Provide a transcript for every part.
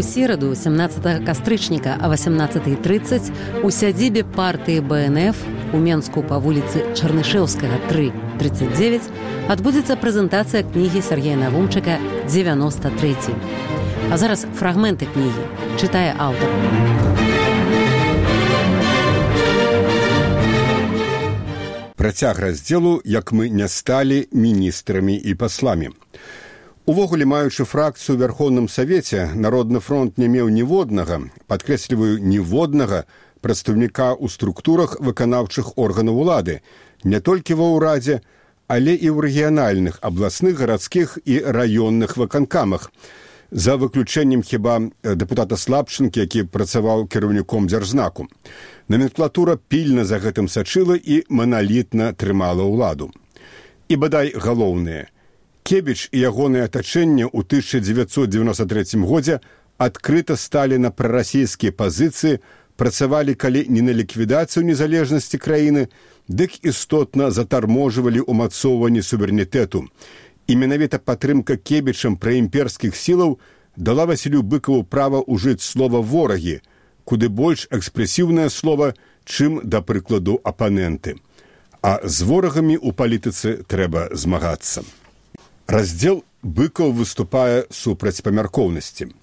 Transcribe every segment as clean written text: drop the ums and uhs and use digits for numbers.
сераду, 17 кастрычніка о 18:30 у сядзібе партыі БНФ у Менску па вуліцы Чарнышэўскага 3, 39 адбудзецца прэзентацыя кнігі Сергея Навумчыка «93». А зараз фрагменты кнігі. Чытае аўтар. Працяг раздзелу «Як мы не сталі міністрамі і пасламі». Увогуле, маючы фракцыю ў Верховным Савеце, Народны фронт не меў ніводнага, падкрэсліваю, ніводнага прадстаўніка ў структурах выканаўчых органаў улады, не толькі ва ўрадзе, але і ў рэгіянальных, абласных, гарадскіх і раённых выканкамах. За выключэннем хіба дэпутата Слабчынкі, які працаваў кіраўніком дзяржзнаку. Номенклатура пільна за гэтым сачыла і маналітна трымала ўладу. І бадай галоўнае. Кебіч і ягонае атачэнне ў 1993 годзе адкрыта сталі на прарасійскія пазіцыі, працавалі калі не на ліквідацыю незалежнасці краіны, дык істотна затарможвалі ўмацоўванне суверэнітэту. І менавіта падтрымка Кебічам праімперскіх сілаў дала Васілю Быкаву права ўжыць слова «ворагі», куды больш экспрэсіўнае слова, чым, да прыкладу, апаненты. А з ворагамі ў палітыцы трэба змагацца. Раздзел «Быкаў выступае супраць памяркоўнасці».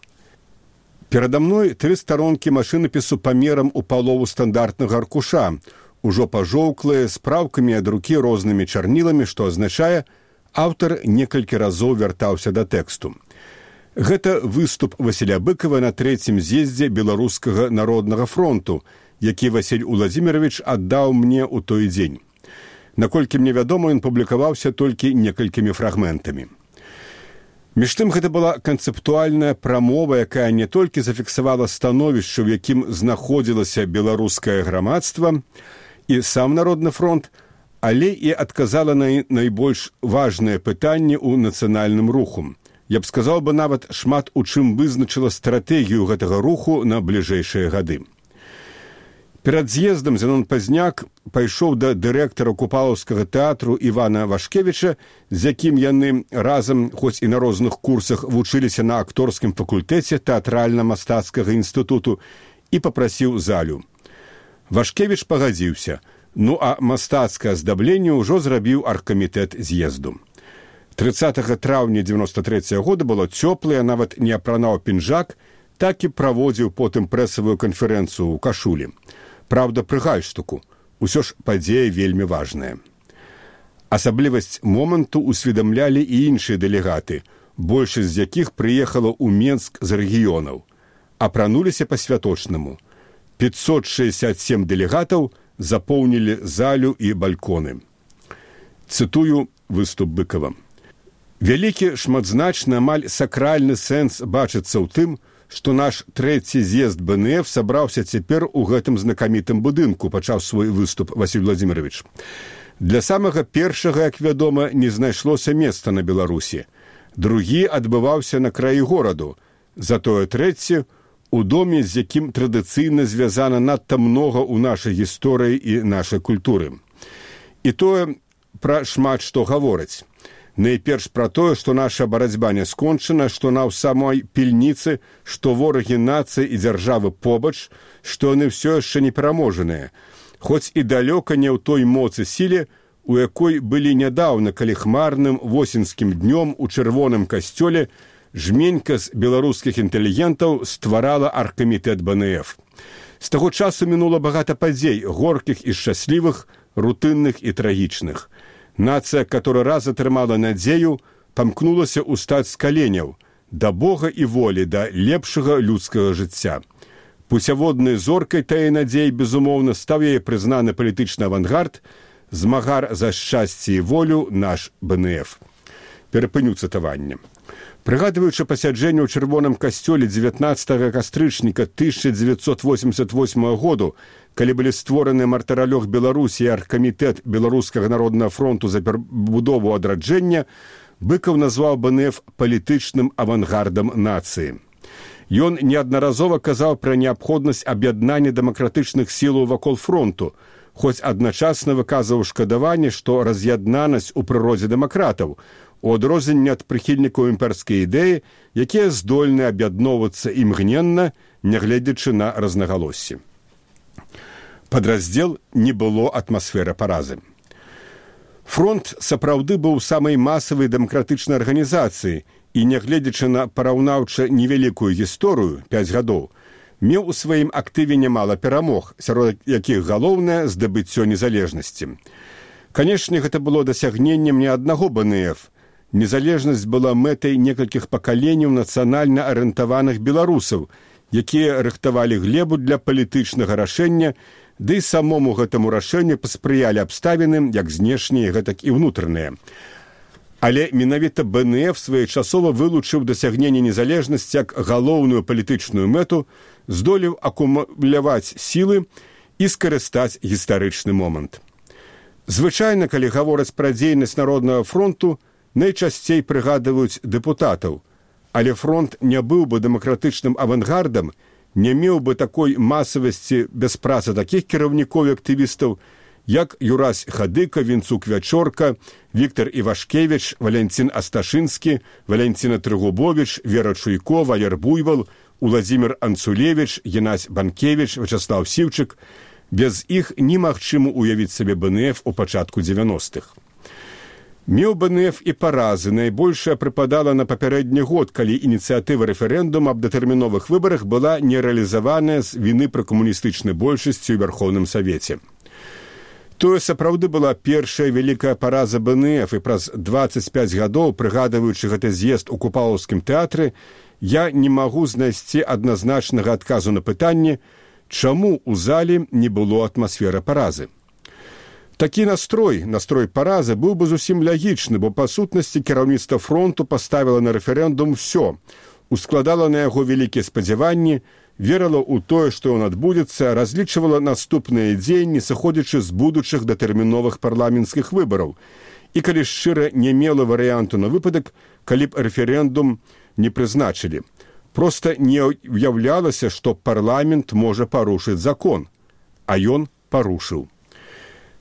Перада мной 3 старонкі машынапісу памерам у палову стандартнага аркуша, ужо пажоўклыя, з праўкамі ад рукі рознымі чарніламі, што азначае, аўтар некалькі разоў вяртаўся да тэксту. Гэта выступ Васіля Быкава на 3-м з'ездзе Беларускага народнага фронту, які Васіль Уладзімірович аддаў мне ў той дзень. Наколькі мне вядома, ён публікаваўся толькі некалькімі фрагментамі. Між тым, гэта была канцэптуальная прамова, якая не толькі зафіксавала становішча, у якім знаходзілася беларускае грамадства і сам Народны фронт, але і адказала на найбольш важныя пытанні ў нацыянальным руху. Я б сказаў бы нават шмат у чым вызначыла стратэгію гэтага руху на бліжэйшыя гады. Перад з'ездам Зенон Пазняк пайшоў да дырэктара Купалаўскага тэатру Івана Вашкевіча, з якім яны разам, хоць і на розных курсах, вучыліся на акторскім факультэце тэатральна-мастацкага інстытуту, і папрасіў залю. Вашкевіч пагадзіўся, ну а мастацкае аздабленне ўжо зрабіў аргкамітэт з'езду. 30 траўня 93 года было цёплае, нават не апранаў пінжак, так і праводзіў потым прэсавую канферэнцыю ў кашулі. Праўда, пры гальштуку. Усё ж падзея вельмі важная. Асаблівасць моманту усведамлялі і іншыя дэлегаты, большасць з якіх прыехала ў Менск з рэгіёнаў. Апрануліся па-святочнаму. 567 дэлегатаў запоўнілі залю і бальконы. Цытую выступ Быкава. Вялікі, шматзначны, амаль сакральны сэнс бачыцца ў тым, што наш 3-й з'езд БНФ сабраўся цяпер у гэтым знакамітым будынку, пачаў свой выступ Васіль Владзімірович. Для самага першага, як вядома, не знайшлося месца на Беларусі. Другі адбываўся на краі гораду. Затое 3-й у доме, з якім традыцыйна звязана надта многа ў нашай гісторыі і нашай культуры. І тое пра шмат што гавораць. Найперш пра тое, што наша барацьба не скончана, што на ў самой пільніцы, што ворагі нацыі і дзяржавы побач, што яны ўсё яшчэ не пераможаныя, хоць і далёка не ў той моцы сіле, у якой былі нядаўна, калі хмарным восеньскім днём у чырвоным касцёле жменька з беларускіх інтэлігентаў стварала аргкамітэт БНФ. З таго часу мінула багата падзей, горкіх і шчаслівых, рутынных і трагічных. Нацыя, которая раз атрымала надзею, памкнулася ўстаць з каленяў, да Бога і волі, да лепшага людскага жыцця. Пуцяводнай зоркай тае надзеі, безумоўна, стаў яе прызнаны палітычны авангард, змагар за шчасце і волю наш БНФ. Перапыню цытаванне. Прыгадваючы пасяджэнне ў чырвоным касцёле 19 кастрычніка 1988 году, калі былі створаны мартыралёг Беларусі і аргкамітэт Беларускага народнага фронту за перабудову адраджэння, Быкаў назваў БНФ палітычным авангардам нацыі. Ён неаднаразова казаў пра неабходнасць аб'яднання дэмакратычных сілаў вакол фронту, хоць адначасна выказваў шкадаванне, што раз'яднанасць у прыродзе дэмакратаў, у адрозненне ад прыхільнікаў імперскай ідэі, якія здольны аб'ядноўвацца імгненна, нягледзячы на рознагалоссі. Падраздзел не было атмасферы паразы. Фронт сапраўды быў самай масавай дэмакратычнай арганізацыі і, нягледзячы на параўнаўча невялікую гісторыю, 5 гадоў, меў у сваім актыве нямала перамог, сярод якіх галоўнае здабыццё незалежнасці. Канешне, гэта было дасягненнем не аднаго БНФ. Незалежнасць была мэтай некалькіх пакаленняў нацыянальна арыентаваных беларусаў, якія рыхтавалі глебу для палітычнага рашэння, ды і самому гэтаму рашэнню паспрыялі абставіны, як знешнія, гэтак і ўнутраныя. Але менавіта БНФ своечасова вылучыў дасягненне незалежнасці як галоўную палітычную мэту, здолеў акумуляваць сілы і скарыстаць гістарычны момант. Звычайна, калі гавораць пра дзейнасць Народнага фронту, найчасцей прыгадваюць дэпутатаў, але фронт не быў бы дэмакратычным авангардам, не меў бы такой масавасці без працы такіх кіраўнікоў і актывістаў, як Юрась Хадыка, Вінцук Вячорка, Віктор Івашкевіч, Валянцін Асташынскі, Валянціна Трыгубовіч, Вера Чуйко, Валер Буйвал, Уладзімір Анцулевіч, Геннадзь Банкевіч, Вячаслав Сіўчык. Без іх немагчыма уявіць сабе БНФ у пачатку 90-х. Меў БНФ і паразы. Найбольшая прыпадала на папярэдні год, калі ініцыятыва рэферэндума аб датэрміновых выбарах была не рэалізаваная з віны пра камуністычнай большасці ў Верховным Савеце. Тое сапраўды была першая вялікая параза БНФ, і праз 25 гадоў, прыгадваючы гэты з'езд у Купалаўскім тэатры, я не магу знайсці адназначнага адказу на пытанне, чаму ў зале не было атмасферы паразы. Такі настрой паразы быў бы зусім лягічны, бо па сутнасці кіраўніцтва фронту паставіла на рэферэндум усё, ускладала на яго вялікія спадзяванні, верыла ў тое, што ён адбудзецца, разлічвала наступныя дзеянні, сыходзячы з будучых датэрміновых парламенцкіх выбараў. І калі шчыра не мела варыянту на выпадак, калі б рэферэндум не прызначылі. Проста не уяўлялася, што парламент можа парушыць закон, а ён парушыў.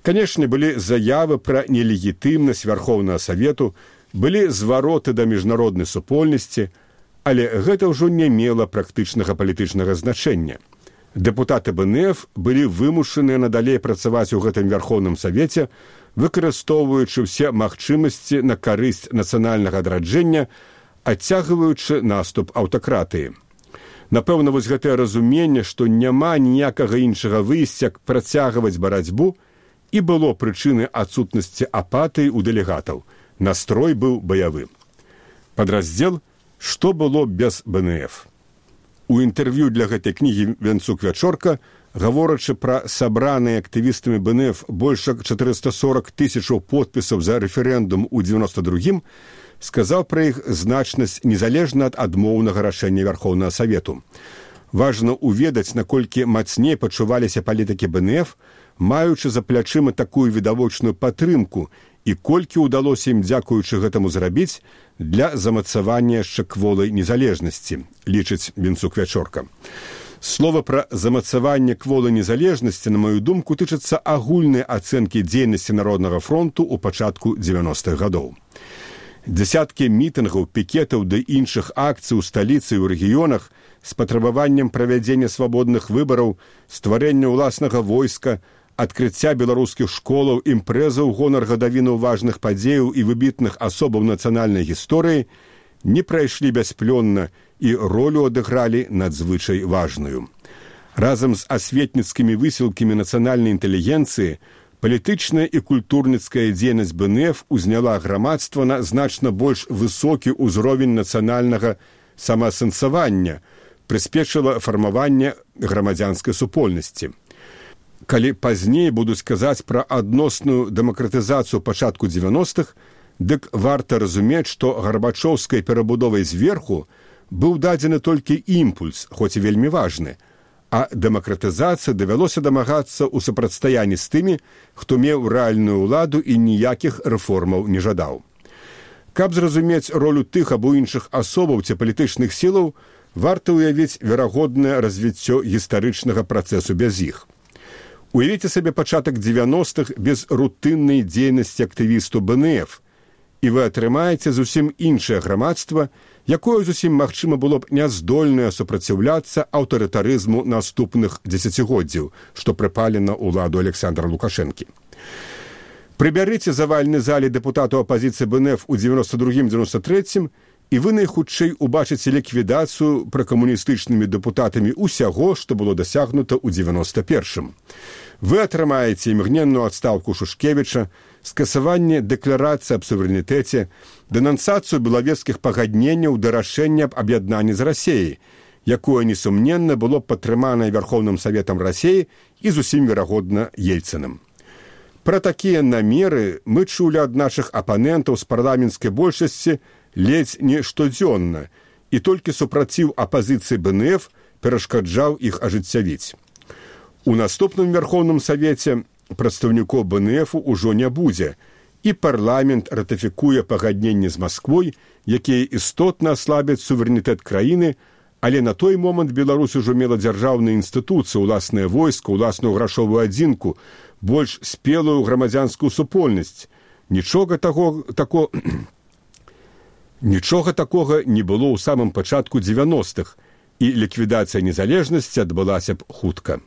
Канешне, былі заявы пра нелегітымнасць Верховнага Савету, былі звароты да міжнароднай супольнасці, але гэта ўжо не мела практычнага палітычнага значэння. Дэпутаты БНФ былі вымушаныя надалей працаваць у гэтым Верховным Савеце, выкарыстоўваючы ўсе магчымасці на карысць нацыянальнага адраджэння, адцягваючы наступ аўтакратыі. Напэўна, вось гэтае разуменне, што няма ніякага іншага выйсця, як працягваць барацьбу, і было прычынай адсутнасці апатыі ў дэлегатаў. Настрой быў баявы. Падраздзел «Што было без БНФ». У інтэрв'ю для гэтай кнігі Вінцук Вячорка, гаворачы пра сабраныя актывістамі БНФ больш як 440 тысячаў подпісаў за рэферэндум у 92-м, сказаў пра іх значнасць незалежна ад адмоўнага рашэння Верховнага Савету. Важна ўведаць, наколькі мацней пачуваліся палітыкі БНФ, маючы за плячыма такую відавочную падтрымку, і колькі ўдалося ім, дзякуючы гэтаму, зрабіць для замацавання яшчэ кволай незалежнасці, лічыць Вінцук Вячорка. Слова пра замацаванне кволай незалежнасці, на маю думку, тычыцца агульнай ацэнкі дзейнасці Народнага фронту ў пачатку 90-х гадоў. Дзясяткі мітынгаў, пікетаў ды іншых акцый у сталіцы і ў рэгіёнах з патрабаваннем правядзення свабодных выбараў, стварэння ўласнага войска, адкрыцця беларускіх школаў, імпрэза ў гонар гадавіну важных падзеяў і выбітных асобаў нацыянальнай гісторыі не прайшлі бясплённа і ролю адыгралі надзвычай важную. Разам з асветніцкімі высілкамі нацыянальнай інтэлігенцыі палітычная і культурніцкая дзейнасць БНФ узняла грамадства на значна больш высокі ўзровень нацыянальнага самаасэнсавання, прыспешыла фармаванне грамадзянскай супольнасці. Калі пазней будуць казаць пра адносную дэмакратызацыю пачатку 90-х, дык варта разумець, што гарбачоўскай перабудовай зверху быў дадзены толькі імпульс, хоць і вельмі важны, а дэмакратызацыі давялося дамагацца ў супрацьстаянні з тымі, хто меў рэальную ўладу і ніякіх рэформаў не жадаў. Каб зразумець ролю тых або іншых асобаў ці палітычных сілаў, варта ўявіць верагоднае развіццё гістарычнага працэсу без іх. Уявіце сабе пачатак 90-х без рутыннай дзейнасці актывісту БНФ і вы атрымаеце зусім іншае грамадства, якое зусім магчыма было б няздольнае супраціўляцца аўтарытарызму наступных дзесяцігоддзяў, што прыпалі на ўладу Александра Лукашэнкі. Прыбярыце завальны зале дэпутатаў апазіцыі БНФ у 92-93 і вы найхутчэй убачыце ліквідацыю пракамуністычнымі дэпутатамі ўсяго, што было дасягнута ў 91-м. Вы атрымаеце імгненную адстаўку Шушкевіча, скасаванне дэкларацыі аб суверэнітэце, дэнансацыю белавежскіх пагадненняў да рашэння аб аб'яднанні з Расеяй, якое, несумненна, было падтрыманае Верховным Саветам Расеі і зусім верагодна Ельцынам. Пра такія намеры мы чулі ад нашых апанентаў з парламенцкай большасці ледзь не штодзённа, і толькі супраціў апазіцыі БНФ перашкаджаў іх ажыццявіць. У наступным Верховным Савеце прадстаўнікоў БНФ ўжо не будзе, і парламент ратыфікуе пагадненні з Масквой, якія істотна аслабяць суверэнітэт краіны, але на той момант Беларусь ужо мела дзяржаўныя інстытуцыі, уласнае войска, уласную грашовую адзінку, больш спелую грамадзянскую супольнасць. Нічога такога не было ў самым пачатку 90-х, і ліквідацыя незалежнасці адбылася б хутка.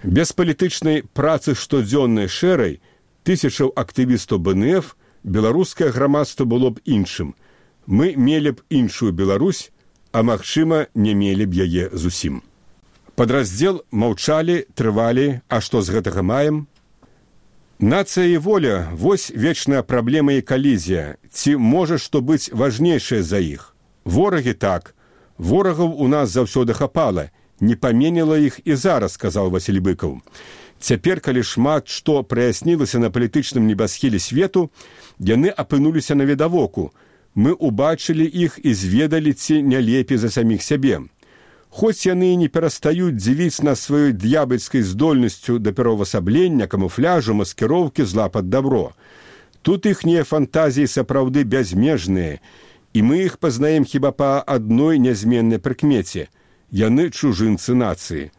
Без палітычнай працы штодзённай шэрай тысячаў актывістаў БНФ беларускае грамадства было б іншым. Мы мелі б іншую Беларусь, а магчыма, не мелі б яе зусім. Падраздзел маўчалі, трывалі, а што з гэтага маем? Нацыя і воля – вось вечная праблема і калізія. Ці можа што быць важнейшае за іх? Ворагі так. Ворагаў у нас заўсёды хапала. Не паменіла іх і зараз, сказаў Васіль Быкаў. Цяпер, калі шмат што праяснілася на палітычным небасхіле свету, яны апынуліся навідавоку. Мы убачылі іх і зведалі, ці не лепей за саміх сябе. Хоць яны і не перастаюць дзівіць нас сваёй д'ябальскай здольнасцю да пераўвасаблення, камуфляжу, маскіроўкі, зла пад дабро. Тут іхнія фантазіі сапраўды бязмежныя, і мы іх пазнаем хіба па адной нязменнай прыкмеце. Яны чужынцы нацыі.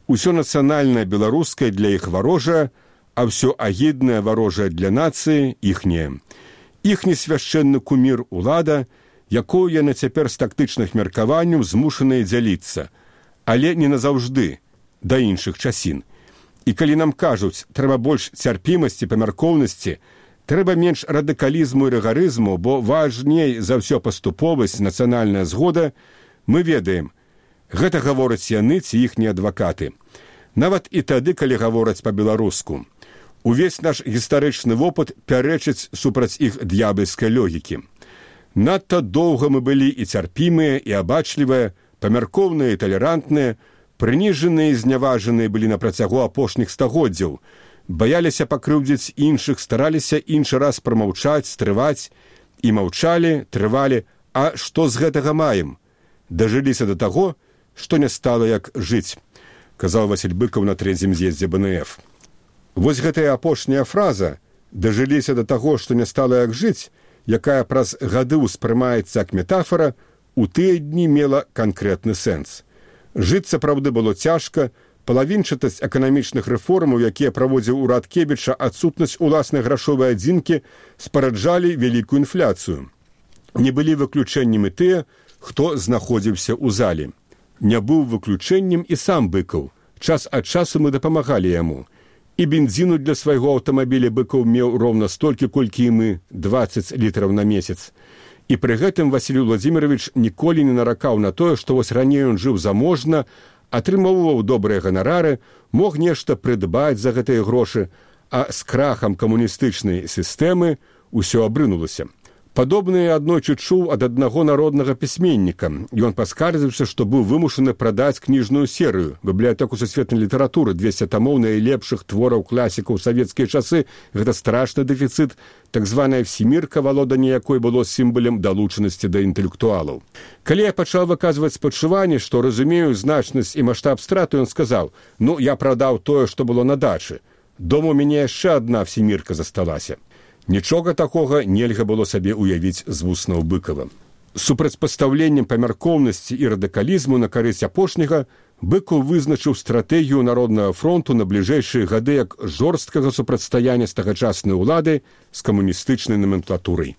Усё нацыянальнае беларускае для іх варожае, а ўсё агіднае варожае для нацыі іхняе. Іхні свяшчэнны кумір улада, якую яны цяпер з тактычных меркаванняў змушаныя дзяліцца, але не назаўжды, да іншых часін. І калі нам кажуць, трэба больш цярпімасці, памяркоўнасці, трэба менш радыкалізму і рыгарызму, бо важней за ўсё паступовасць, нацыянальная згода, мы ведаем, гэта гавораць яны ці іхнія адвакаты. Нават і тады, калі гавораць па-беларуску. Увесь наш гістарычны вопыт пярэчыць супраць іх д'ябальскай логікі. Надта доўга мы былі і цярпімыя, і абачлівыя, памяркоўныя і талерантныя, прыніжаныя і зняважаныя былі на працягу апошніх стагоддзяў, баяліся пакрыўдзіць іншых, стараліся іншы раз прамаўчаць, стрываць, і маўчалі, трывалі, а што з гэтага маем? Дажыліся да таго, што не стала як жыць, казаў Васіль Быкаў на 3-м з'ездзе БНФ. Вось гэтая апошняя фраза «дажыліся да таго, што не стала як жыць», якая праз гады ўспрымаецца як метафора, у тыя дні мела канкрэтны сэнс. Жыць сапраўды было цяжка, палавінчатасць эканамічных рэформаў, якія праводзіў урад Кебіча, адсутнасць уласнай грашовай адзінкі спараджалі вялікую інфляцыю. Не былі выключэннем і тыя, хто знаходзіўся ў зале. Не быў выключэннем і сам Быкаў. Час ад часу мы дапамагалі яму. І бензіну для свайго аўтамабіля Быкаў меў роўна столькі, колькі і мы, 20 літраў на месяц. І пры гэтым Васіль Владзімірович ніколі не наракаў на тое, што вось раней ён жыў заможна, атрымоўваў добрыя ганарары, мог нешта прыдбаць за гэтыя грошы, а з крахам камуністычнай сістэмы ўсё абрынулася. Падобнае аднойчы чуў ад аднаго народнага пісьменніка. Ён паскардзіўся, што быў вымушаны прадаць кніжную серыю, бібліятэку сусветнай літаратуры, 200 тамоў найлепшых твораў класікаў савецкія часы. Гэта страшны дэфіцыт, так званая всемірка, валоданне якой было сімвалем далучанасці да інтэлектуалаў. Калі я пачаў выказваць спачуванне, што разумею значнасць і маштаб страты, ён сказаў: «Ну, я прадаў тое, што было на дачы. Дома у мяне яшчэ адна всемірка засталася». Нічога такога нельга было сабе ўявіць з вуснаў Быкава. Супрацьпастаўленнем памяркоўнасці і радыкалізму на карысць апошняга Быкаў вызначыў стратэгію Народнага фронту на бліжэйшыя гады як жорсткага супрацьстаяння з тагачаснай улады з камуністычнай номенклатурай.